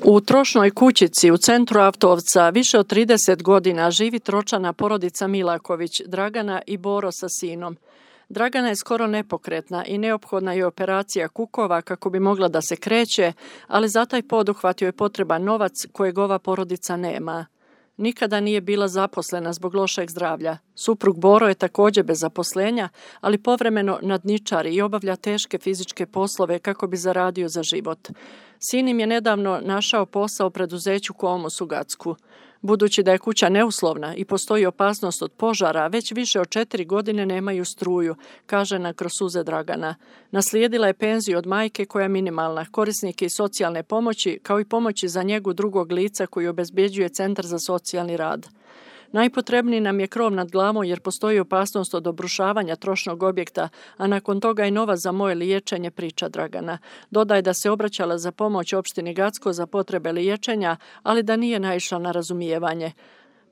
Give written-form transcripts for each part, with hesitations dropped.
U trošnoj kućici u centru Avtovca više od 30 godina živi tročlana porodica Milaković, Dragana i Boro sa sinom. Dragana je skoro nepokretna i neophodna je operacija kukova kako bi mogla da se kreće, ali za taj poduhvat joj je potreban novac kojeg ova porodica nema. Nikada nije bila zaposlena zbog lošeg zdravlja. Suprug Boro je također bez zaposlenja, ali povremeno nadničari i obavlja teške fizičke poslove kako bi zaradio za život. Sin im je nedavno našao posao u preduzeću Komos u Gacku. Budući da je kuća neuslovna i postoji opasnost od požara, već više od 4 godine nemaju struju, kaže na kroz suze Dragana. Naslijedila je penziju od majke koja je minimalna, korisnik i socijalne pomoći, kao i pomoći za njegu drugog lica koji obezbjeđuje Centar za socijalni rad. Najpotrebniji nam je krov nad glavom jer postoji opasnost od obrušavanja trošnog objekta, a nakon toga i novac za moje liječenje, priča Dragana. Dodaje da se obraćala za pomoć opštini Gacko za potrebe liječenja, ali da nije naišla na razumijevanje.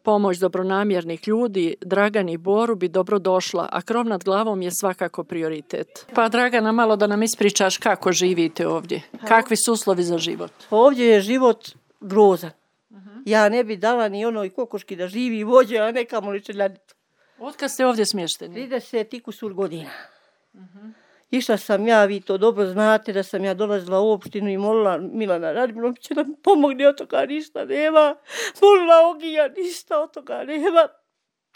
Pomoć dobronamjernih ljudi, Dragani i Boru bi dobro došla, a krov nad glavom je svakako prioritet. Pa Dragana, malo da nam ispričaš kako živite ovdje. Kakvi su uslovi za život? Ovdje je život grozan. Ja ne bi dala ni onoj kokoški da živi vođe, a ne kamoli čeljadicu. Otkad ste ovdje smješteni? 30 i kusur godina. Išla sam ja, vi to dobro znate, da sam ja dolazila u opštinu i molila Milana Radmilovića da mi pomogne, od toga ništa nema. Molila Ogija, ništa od toga nema.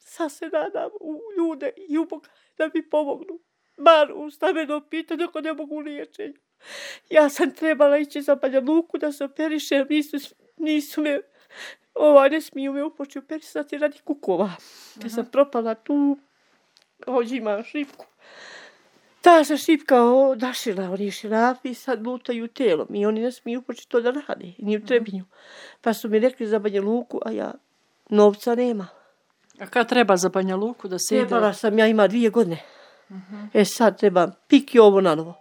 Sad se nadam u ljude i u Boga da mi pomognu. Bar u stambeno pitanje ako ne mogu liječenju. Ja sam trebala ići za Banja Luku da se operišem, nisu me, ne smiju me upoći operisati radi kukova. Ja sam propala tu, ovdje imam šipku. Ta se šipka odašila, oni širafi sad lutaju telom i oni ne smiju upoći to da rade, ni u Trebinju. Pa su mi rekli za Banja Luku, a ja novca nema. A kad treba za Banja Luku da se ide? Trebala sam, ja ima 2 godine. Sad trebam pik i ovo na novo.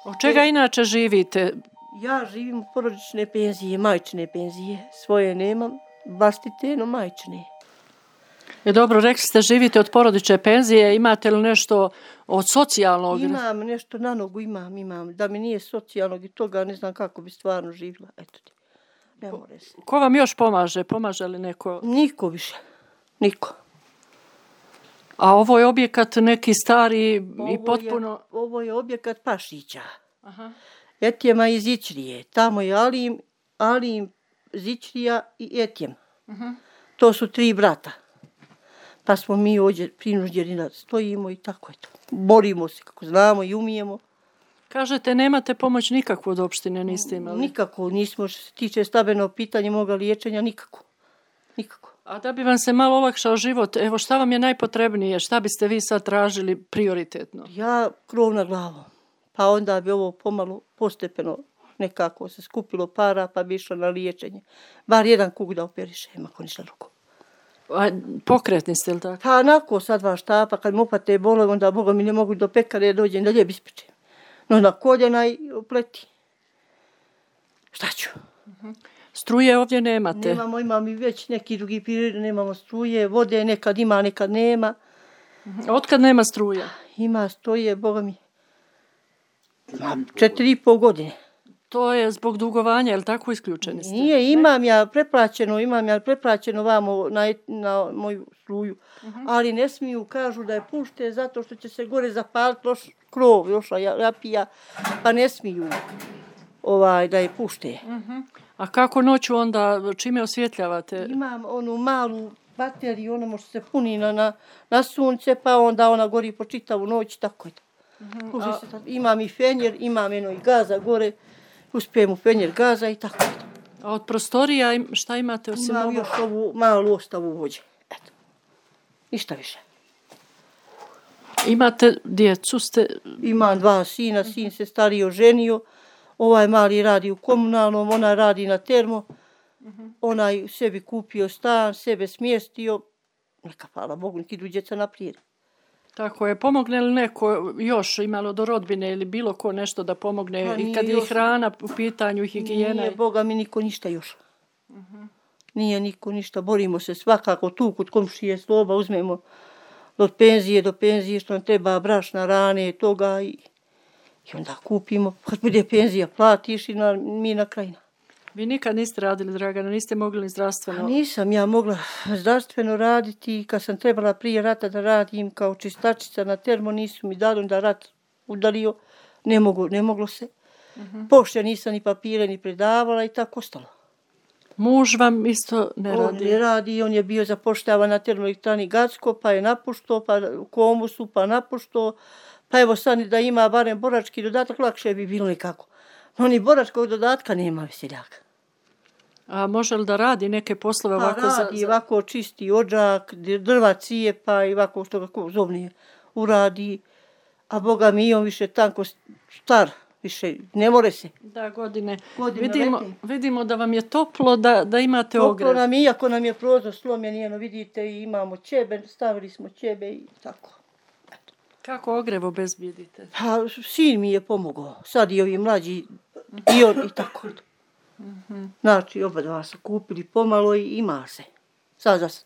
Od čega inače živite? Ja živim u porodične penzije, majčine penzije. Svoje nemam, vlastite, no majčine. Dobro, rekli ste živite od porodične penzije, imate li nešto od socijalnog? Imam nešto na nogu, imam. Da mi nije socijalnog i toga, ne znam kako bi stvarno živjela. Eto ti, ne more se. Ko vam još pomaže? Pomaže li neko? Niko više, niko. A ovo je objekat neki stari i potpuno... Ovo je objekat Pašića. Aha. Etjema iz Zičrije. Tamo je Alim, Zičrija i Etjem. To su 3 brata. Pa smo mi ovdje prinuđeni da stojimo i tako je to. Borimo se kako znamo i umijemo. Kažete, nemate pomoć nikakvu od opštine, niste imali? Nikako, nismo što se tiče stambenog pitanja moga liječenja, nikako. A da bi vam se malo olakšao život, evo šta vam je najpotrebnije, šta biste vi sad tražili prioritetno? Ja krov nad glavom, pa onda bi ovo pomalo postepeno nekako se skupilo para pa bi išla na liječenje. Bar jedan kuk da operišem, ako ništa drugo. A pokretni ste li tako? Pa onako sad 2 štapa, kad mi upate bolove, onda Boga mi ne mogu do pekare dođem da lijep ispečem. No na koljena i opleti. Šta ću? Struje ovdje nemate? Nemamo, imam i već neki drugi period, nemamo struje, vode nekad ima, nekad nema. Otkad nema struje? Ima struje, Boga mi, 4,5 godine. To je zbog dugovanja, je li tako isključeni ste? Nije, imam ja preplaćeno vamo na moju struju, ali ne smiju, kažu da je pušte zato što će se gore zapaliti loš krov, loša rapija, pa ne smiju da je pušte. A kako noću onda, čime osvjetljavate? Imam onu malu bateriju, ono može se puni na sunce, pa onda ona gori po čitavu noć, tako je to. Imam i fenjer, imam i gaza gore, uspijem u fenjer gaza i tako je to. A od prostorija šta imate osim ovo? Imam još ovu malu ostavu vođe, eto, ništa više. Imate djecu? Imam 2 sina, sin se stariji oženio, ovaj mali radi u komunalnom, ona radi na termo, onaj sebi kupio stan, sebe smjestio, neka hvala Bogu, neki idu djeca naprijed. Tako je, pomogne li neko još, imalo do rodbine ili bilo ko nešto da pomogne i kad je hrana u pitanju i higijena? Nije, Boga mi niko ništa još. Nije niko ništa, borimo se svakako tu kod komšije sloba, uzmemo od penzije do penzije što nam treba brašna, rane, toga i onda kupimo, kad bude penzija platiš i mi na krajina. Vi nikad niste radili, Dragana, niste mogli zdravstveno? Nisam ja mogla zdravstveno raditi. Kad sam trebala prije rata da radim kao čistačica na termo, nisu mi dali da rat udario. Ne moglo se. Pošte nisam ni papire ni predavala i tako ostalo. Muž vam isto ne radi? On ne radi, on je bio zapošljavan na termoelektrani Gacko, pa je napuštao, pa u Komusu, pa napuštao. Pa evo sad da ima barem borački dodatak, lakše bi bilo nekako. No ni boračkog dodatka nema veseljaka. A može li da radi neke poslove ovako radi, ovako čisti odžak, drva cijepa i ovako što kako zovnije uradi. A Boga mi on više tanko star, više ne more se. Da, godine vidimo da vam je toplo, da imate ogrev. Toplo nam je, iako nam je prozor slomljen, vidite, i imamo ćebe, stavili smo ćebe i tako. Kako ogrev obezbijedite? Pa, sin mi je pomogao. Sad i ovi mlađi i on i tako. Znači, oba dva su kupili pomalo i ima se. Sad za sad.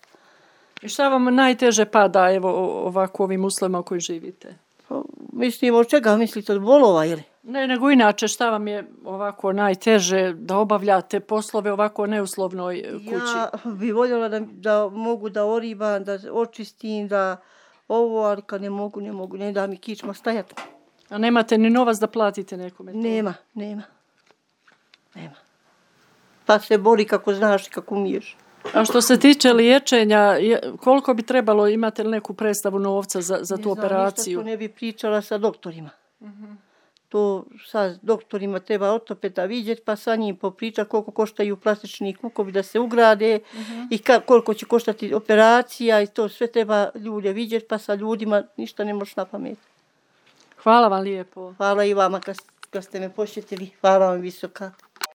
I šta vam najteže pada evo ovako ovim uslovima u kojim živite? Pa, mislim, od čega mislite, od bolova ili? Ne, nego inače šta vam je ovako najteže da obavljate poslove ovako neuslovnoj kući? Ja bi voljela da mogu da oribam, da očistim, da ovo, ali kad ne mogu, ne da mi kičma stajati. A nemate ni novac da platite nekome to? Nema. Pa se bori kako znaš i kako umiješ. A što se tiče liječenja, koliko bi trebalo, imate li neku predstavu novca za tu operaciju? Ne znam, ne bi pričala sa doktorima. To sa doktorima treba ortopeda vidjeti, pa sa njim popričati koliko koštaju plastični kukovi da se ugrade i koliko će koštati operacija i to sve treba ljude vidjeti, pa sa ljudima ništa ne možeš na pamet. Hvala vam lijepo. Hvala i vama kad ste me posjetili. Hvala vam visoka.